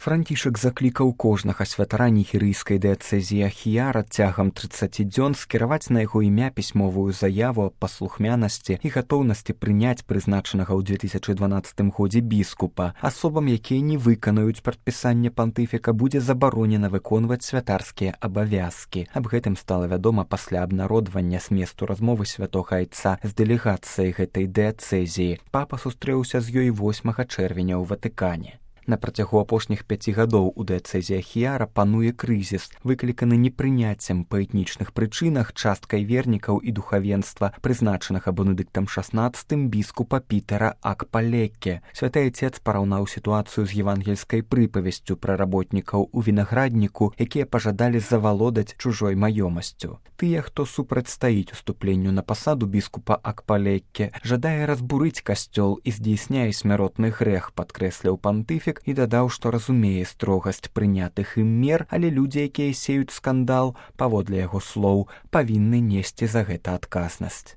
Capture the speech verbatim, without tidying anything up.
Францішак заклікаў кожнага святара нігерыйскай дыяцэзіі Ахіяра цягам трыццаці дзён скіраваць на яго імя пісьмовую заяву аб паслухмянасці і гатоўнасці прыняць прызначанага ў дзве тысячы дванаццатым годзе біскупа. Асобам, якія не выканаюць прадпісанне пантыфіка, будзе забаронена выконваць святарскія абавязкі. Аб гэтым стала вядома пасля абнародвання зместу размовы святога айца з дэлегацыяй гэтай дыяцэзіі. Папа сустрэўся з ёй восьмага чэрвеня ў Ватыкане. На працягу апошніх пяці гадоў у дыяцэзіі Ахіяра пануе крызіс, выкліканы непрыняццем па этнічных прычынах часткай вернікаў і духавенства, прызначанага Бенедыктам шаснаццатым біскупа Пітера Акпалекке. Святы айцец параўнаў сітуацыю з евангельскай прыпавесцю пра работнікаў у вінаградніку, якія пажадалі завалодаць чужой маёмасцю. Тыя, хто супрацьстаіць уступленню на пасаду біскупа Акпалекке, жадае разбурыць касцёл і здзейсняе смяротны грэх, падкрэсліў пантыфік і дадаў, што разумее строгасць прынятых ім мер, але людзі, якія сеюць скандал, паводле яго слоў, павінны несці за гэта адказнасць.